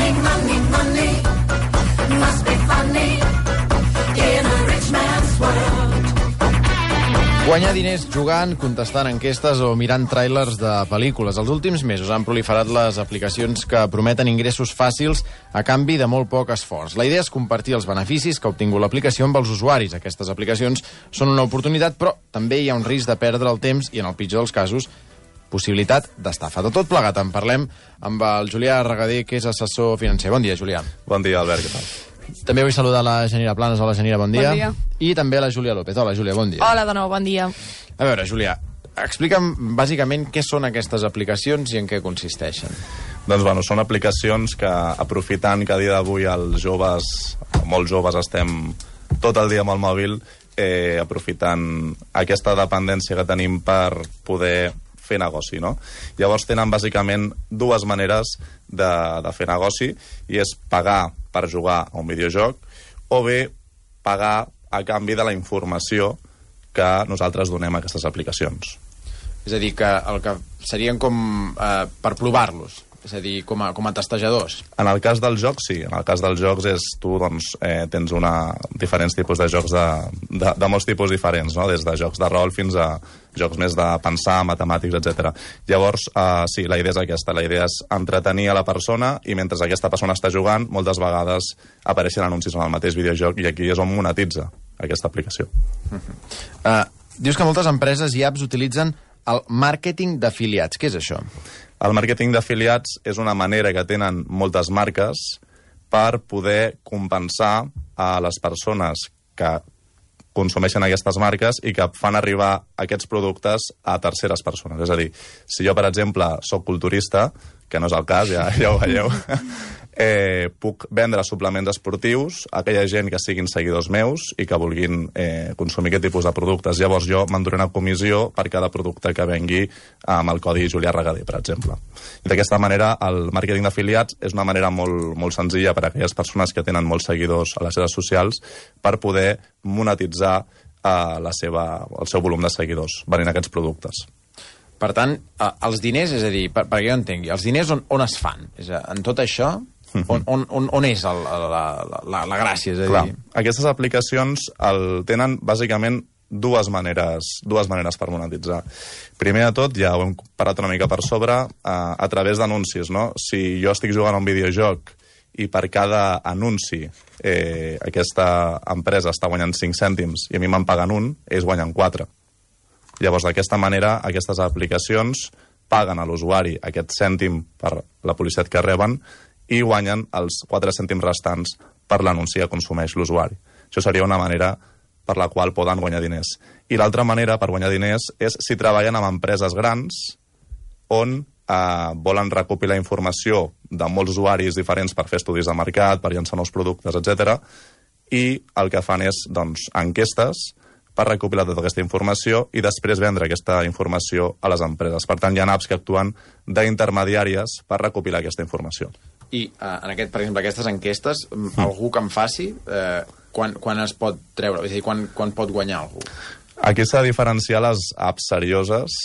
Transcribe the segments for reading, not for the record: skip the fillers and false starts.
Money, money, money. Must be funny in a rich man's world. Guanyar diners jugant, contestant enquestes o mirant tràilers de pel·lícules. Els últims mesos han proliferat les aplicacions que prometen ingressos fàcils a canvi de molt poc esforç. La idea és compartir els beneficis que ha obtingut l'aplicació amb els usuaris. Aquestes aplicacions són una oportunitat, però també hi ha un risc de perdre el temps i, en el pitjor dels casos, possibilitat d'estafa. De tot plegat en parlem amb el Julià Regader, que és assessor financer. Bon dia, Julià. Bon dia, Albert, què tal? També vull saludar la Genira Planes. Hola, Genira, bon dia. Bon dia. I també la Júlia López. Hola, Júlia, bon dia. Hola de nou, bon dia. A veure, Julià, explica'm bàsicament què són aquestes aplicacions i en què consisteixen. Doncs, bueno, són aplicacions que, aprofitant que a dia d'avui els joves, molts joves, estem tot el dia amb el mòbil, aprofitant aquesta dependència que tenim per poder fer negoci, no? Llavors tenen bàsicament dues maneres de fer negoci, i és pagar per jugar a un videojoc o bé pagar a canvi de la informació que nosaltres donem a aquestes aplicacions. És a dir, que el que serien com per provar-los, és a dir, com a testejadors. En el cas dels jocs, sí. En el cas dels jocs és tu, doncs, tens diferents tipus de jocs de molts tipus diferents, no? Des de jocs de rol fins a jocs més de pensar, matemàtics, etc. Llavors, sí, la idea és aquesta. La idea és entretenir a la persona i mentre aquesta persona està jugant, moltes vegades apareixen anuncis en el mateix videojoc i aquí és on monetitza aquesta aplicació. Dius que moltes empreses i apps utilitzen el màrqueting d'afiliats. Què és això? El màrqueting d'afiliats és una manera que tenen moltes marques per poder compensar a les persones que consumeixen aquestes marques i que fan arribar aquests productes a terceres persones. És a dir, si jo, per exemple, sóc culturista, que no és el cas, ja ho veieu, puc vendre suplements esportius a aquella gent que siguin seguidors meus i que vulguin consumir aquest tipus de productes. Llavors jo m'enduré una comissió per cada producte que vengui amb el codi Julià Regader, per exemple. I d'aquesta manera el màrqueting d'afiliats és una manera molt, molt senzilla per a aquelles persones que tenen molts seguidors a les xarxes socials per poder monetitzar el seu volum de seguidors venent aquests productes. Per tant, els diners, és a dir, perquè jo entengui, els diners on es fan? És a dir, en tot això, on és la gràcia? És a dir... Clar, aquestes aplicacions tenen bàsicament dues maneres per monetitzar. Primer de tot, ja ho hem parat una mica per sobre, a través d'anuncis, no? Si jo estic jugant a un videojoc i per cada anunci aquesta empresa està guanyant 5 cèntims i a mi me'n paguen 1, ells guanyen 4. Llavors, d'aquesta manera, aquestes aplicacions paguen a l'usuari aquest cèntim per la publicitat que reben i guanyen els 4 cèntims restants per l'anunci que consumeix l'usuari. Això seria una manera per la qual poden guanyar diners. I l'altra manera per guanyar diners és si treballen amb empreses grans on volen recopilar informació de molts usuaris diferents per fer estudis de mercat, per llançar nous productes, etc. I el que fan és, doncs, enquestes per recopilar tota aquesta informació i després vendre aquesta informació a les empreses. Per tant, hi ha apps que actuen d'intermediàries per recopilar aquesta informació. I, per exemple, aquestes enquestes, algú que en faci, quan es pot treure? És a dir, quan pot guanyar algú? Aquí s'ha de diferenciar les apps serioses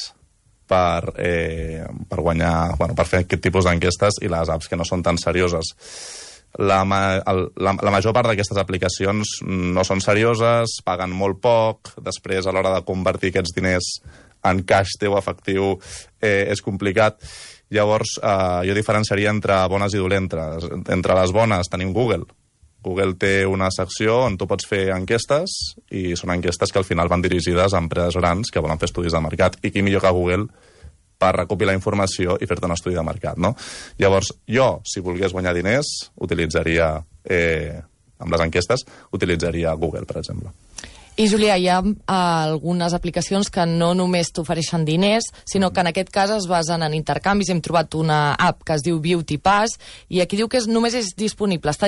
per guanyar, per fer aquest tipus d'enquestes i les apps que no són tan serioses. La major part d'aquestes aplicacions no són serioses, paguen molt poc, després a l'hora de convertir aquests diners en cash teu efectiu és complicat. Llavors jo diferenciaria entre bones i dolentes. Entre les bones tenim Google. Google té una secció on tu pots fer enquestes i són enquestes que al final van dirigides a empreses grans que volen fer estudis de mercat. I qui millor que Google per recopilar informació i fer-te un estudi de mercat, no? Llavors, jo, si volgués guanyar diners, utilitzaria, amb les enquestes, utilitzaria Google, per exemple. I, Julià, hi ha algunes aplicacions que no només t'ofereixen diners, sinó que en aquest cas es basen en intercanvis. Hem trobat una app que es diu Beauty Pass i aquí diu que només està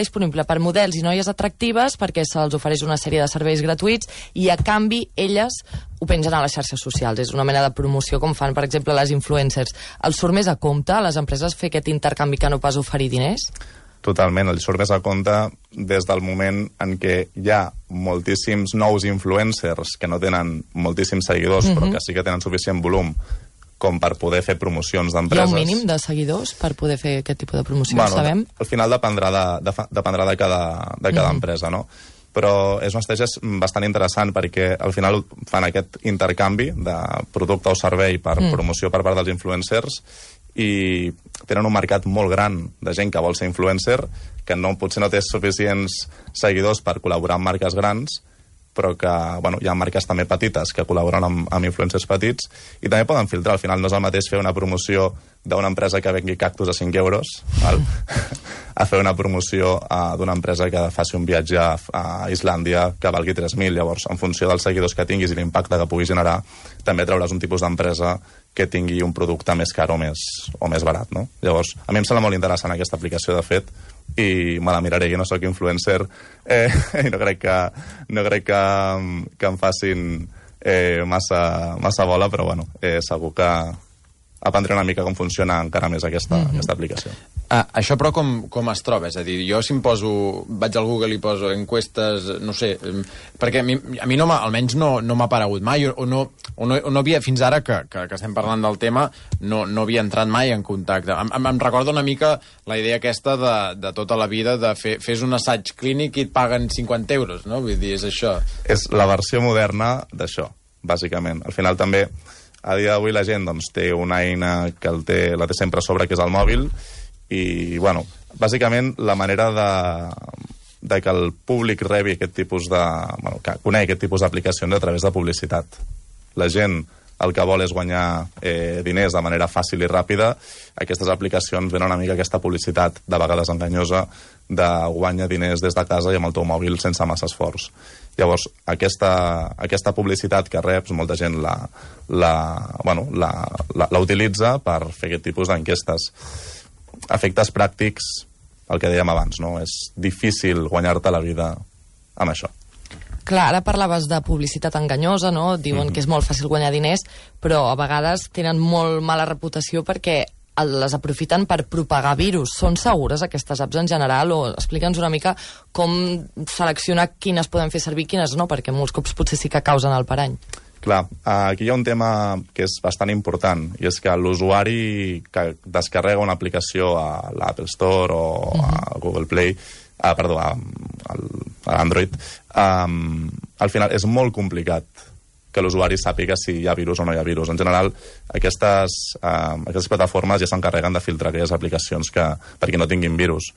disponible per models i noies atractives perquè se'ls ofereix una sèrie de serveis gratuïts i, a canvi, elles ho pengen a les xarxes socials. És una mena de promoció com fan, per exemple, les influencers. Els surt més a compte a les empreses fer aquest intercanvi que no pas oferir diners? Totalment, el surt més a compte des del moment en què hi ha moltíssims nous influencers que no tenen moltíssims seguidors, però que sí que tenen suficient volum com per poder fer promocions Hi ha d'empreses. un mínim de seguidors per poder fer aquest tipus de promocions, Bueno, sabem? al final dependrà de cada empresa, no? Però és una estratègia bastant interessant perquè al final fan aquest intercanvi de producte o servei per promoció per part dels influencers i tenen un mercat molt gran de gent que vol ser influencer, que potser no té suficients seguidors per col·laborar amb marques grans, però que hi ha marques també petites que col·laboren amb influencers petits i també poden filtrar. Al final no és el mateix fer una promoció d'una empresa que vengui cactus a 5 euros val? A fer una promoció d'una empresa que faci un viatge a Islàndia que valgui 3.000. Llavors, en funció dels seguidors que tinguis i l'impacte que puguis generar, també trauràs un tipus d'empresa que tingui un producte més car o més barat, no? Llavors, a mi em sembla molt interessant aquesta aplicació, de fet, i me la miraré. Jo no sóc influencer i no crec que em facin massa bola, però bueno, segur que aprendré una mica com funciona encara més aquesta aplicació. Això, però, com es troba? És a dir, jo si em poso... Vaig al Google i poso encuestes, no sé... Perquè a mi almenys no m'ha aparegut mai, o no havia... Fins ara que estem parlant del tema, no havia entrat mai en contacte. Em recorda una mica la idea aquesta de tota la vida de fes un assaig clínic i et paguen 50 euros, no? Vull dir, és això. És la versió moderna d'això, bàsicament. Al final també, a dia d'avui la gent té una eina que la té sempre a sobre, que és el mòbil, i, bueno, bàsicament la manera de que el públic rebi aquest tipus que conegui aquest tipus d'aplicacions a través de publicitat. La gent el que vol és guanyar diners de manera fàcil i ràpida. Aquestes aplicacions venen una mica aquesta publicitat, de vegades enganyosa, de guanyar diners des de casa i amb el teu mòbil sense massa esforç. Llavors, aquesta publicitat que reps, molta gent la utilitza per fer aquest tipus d'enquestes. Efectes pràctics, el que dèiem abans, no? És difícil guanyar-te la vida amb això. Clar, ara parlaves de publicitat enganyosa, no? Diuen que és molt fàcil guanyar diners, però a vegades tenen molt mala reputació perquè les aprofiten per propagar virus. Són segures aquestes apps en general? O explica'ns una mica com seleccionar quines podem fer servir i quines no, perquè molts cops potser sí que causen el parany. Clar, aquí hi ha un tema que és bastant important, i és que l'usuari que descarrega una aplicació a l'Apple Store o a Google Play, a Android, al final és molt complicat que l'usuari sàpiga si hi ha virus o no hi ha virus. En general, aquestes plataformes ja s'encarreguen de filtrar aquelles aplicacions perquè no tinguin virus,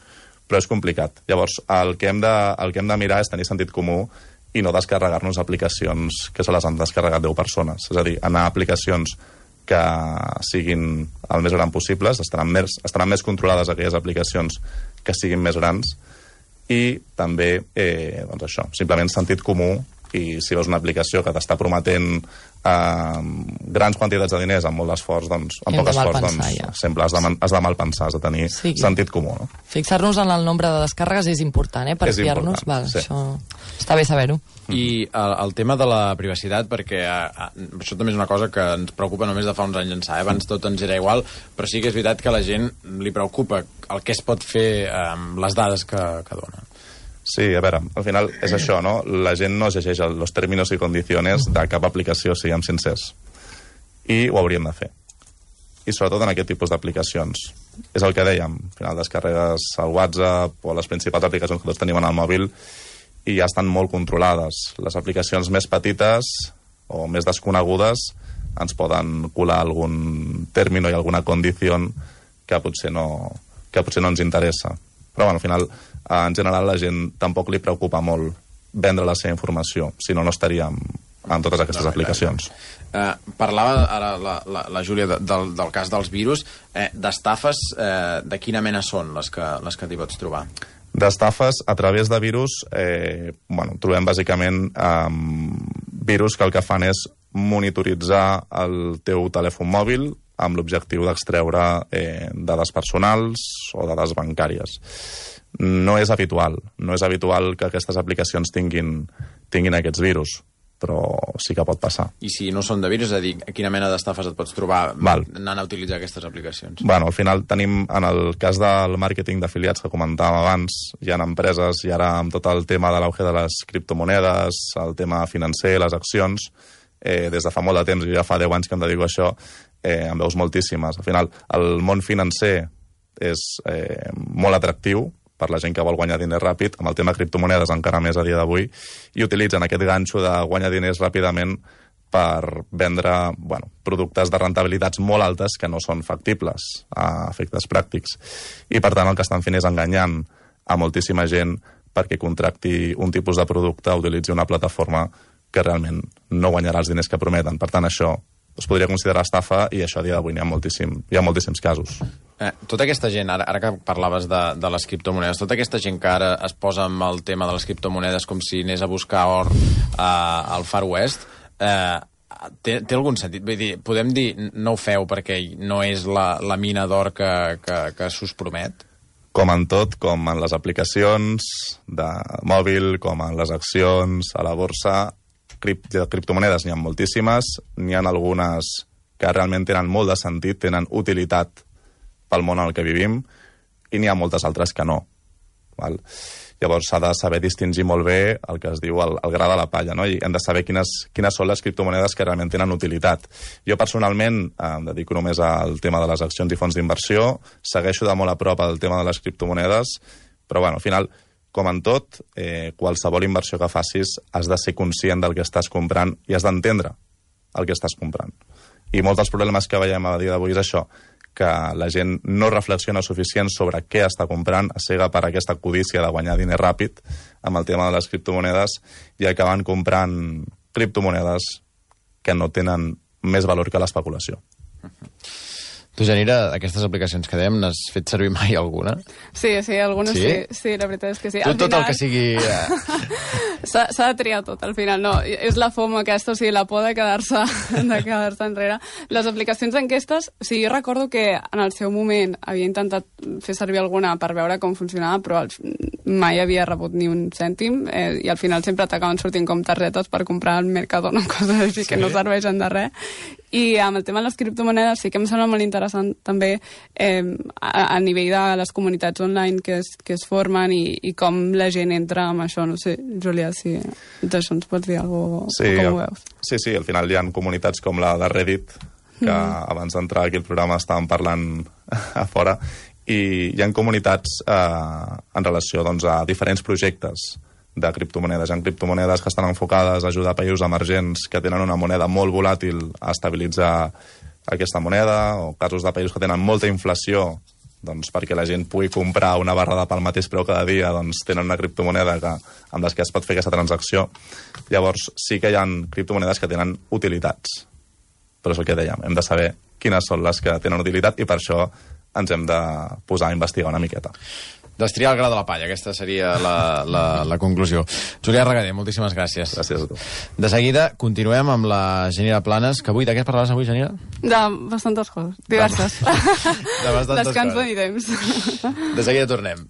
però és complicat. Llavors, el que hem de mirar és tenir sentit comú i no descarregar-nos aplicacions que se les han descarregat 10 persones. És a dir, anar a aplicacions que siguin el més gran possibles, estaran més controlades aquelles aplicacions que siguin més grans, i també, això, simplement sentit comú, i si veus una aplicació que t'està prometent grans quantitats de diners amb molt d'esforç, doncs, amb poc esforç, sempre has de malpensar, has de tenir sentit comú. No? Fixar-nos en el nombre de descàrregues és important, per fiar-nos. Sí. Això està bé saber-ho. I el tema de la privacitat, perquè això també és una cosa que ens preocupa només de fa uns anys ençà. Abans tot ens era igual, però sí que és veritat que a la gent li preocupa el que es pot fer amb les dades que dona. Sí, a veure, al final és això, no? La gent no llegeix els términos i condiciones de cap aplicació, siguem sincers. I ho hauríem de fer. I sobretot en aquest tipus d'aplicacions. És el que dèiem, al final descarregues el WhatsApp o les principals aplicacions que tots tenim en el mòbil i ja estan molt controlades. Les aplicacions més petites o més desconegudes ens poden colar algun término i alguna condició que potser no ens interessa. Però bueno, al final, en general, la gent tampoc li preocupa molt vendre la seva informació, si no estaria en totes aquestes aplicacions. Parlava ara la Júlia del cas dels virus. D'estafes, de quina mena són les que t'hi pots trobar? D'estafes, a través de virus, trobem bàsicament virus que el que fan és monitoritzar el teu telèfon mòbil amb l'objectiu d'extreure dades personals o dades bancàries. No és habitual que aquestes aplicacions tinguin aquests virus, però sí que pot passar. I si no són de virus, és a dir, quina mena d'estafes et pots trobar anant a utilitzar aquestes aplicacions? Al final tenim, en el cas del màrqueting d'afiliats que comentàvem abans, hi ha empreses, i ara amb tot el tema de l'auge de les criptomonedes, el tema financer, les accions, des de fa molt de temps, jo ja fa 10 anys que em dedico a això, en veus moltíssimes. Al final, el món financer és molt atractiu per la gent que vol guanyar diners ràpid, amb el tema criptomonedes encara més a dia d'avui, i utilitzen aquest ganxo de guanyar diners ràpidament per vendre productes de rentabilitats molt altes que no són factibles a efectes pràctics. I, per tant, el que estan fent és enganyant a moltíssima gent perquè contracti un tipus de producte o utilitzi una plataforma que realment no guanyarà els diners que prometen. Per tant, això es podria considerar estafa i això a dia d'avui hi ha moltíssims casos. Tota aquesta gent, ara que parlaves de les criptomonedes, tota aquesta gent que ara es posa amb el tema de les criptomonedes com si anés a buscar or al Far West, té algun sentit? Vull dir, podem dir no ho feu perquè no és la mina d'or que s'us promet? Com en tot, com en les aplicacions de mòbil, com en les accions, a la borsa, criptomonedes n'hi ha moltíssimes, n'hi ha algunes que realment tenen molt de sentit, tenen utilitat pel món en el que vivim, i n'hi ha moltes altres que no. Val? Llavors s'ha de saber distingir molt bé el que es diu el gra de la palla, no? I hem de saber quines són les criptomonedes que realment tenen utilitat. Jo personalment em dedico només al tema de les accions i fons d'inversió, segueixo de molt a prop el tema de les criptomonedes, però al final, com en tot, qualsevol inversió que facis has de ser conscient del que estàs comprant i has d'entendre el que estàs comprant. I molts dels problemes que veiem a dia d'avui és això, que la gent no reflexiona suficient sobre què està comprant, es cega per aquesta codícia de guanyar diner ràpid amb el tema de les criptomonedes i acaben comprant criptomonedes que no tenen més valor que l'especulació. Tu, Janira, aquestes aplicacions que dèiem, n'has fet servir mai alguna? Sí, algunes sí, la veritat és que sí. Tu tot el que sigui... S'ha de triar tot, al final, no. És la FOMO aquesta, o sigui, la por de quedar-se enrere. Les aplicacions d'enquestes, o sigui, jo recordo que en el seu moment havia intentat fer servir alguna per veure com funcionava, però mai havia rebut ni un cèntim, i al final sempre t'acaben sortint com targetes per comprar al Mercadona, coses així que no serveixen de res. I amb el tema de les criptomonedes sí que em sembla molt interessant també a nivell de les comunitats online que es formen i com la gent entra amb això. No sé, Julià, si d'això ens pots dir alguna cosa, com ho veus? Sí, al final hi ha comunitats com la de Reddit, que abans d'entrar aquí al programa estàvem parlant a fora, i hi ha comunitats en relació a diferents projectes de criptomonedes. Hi ha criptomonedes que estan enfocades a ajudar països emergents que tenen una moneda molt volàtil a estabilitzar aquesta moneda, o casos de països que tenen molta inflació, perquè la gent pugui comprar una barra de pa al mateix preu cada dia, tenen una criptomoneda amb les que es pot fer aquesta transacció. Llavors sí que hi ha criptomonedes que tenen utilitats, però és el que dèiem, hem de saber quines són les que tenen utilitat i per això ens hem de posar a investigar una miqueta. Destriar el gra de la palla, aquesta seria la conclusió. Julià Regader, moltíssimes gràcies. Gràcies a tu. De seguida continuem amb la Janira Planes, que avui, de què parlaves avui, Janira? De bastantes coses, diverses. De bastantes Descans coses. de temps. De seguida tornem.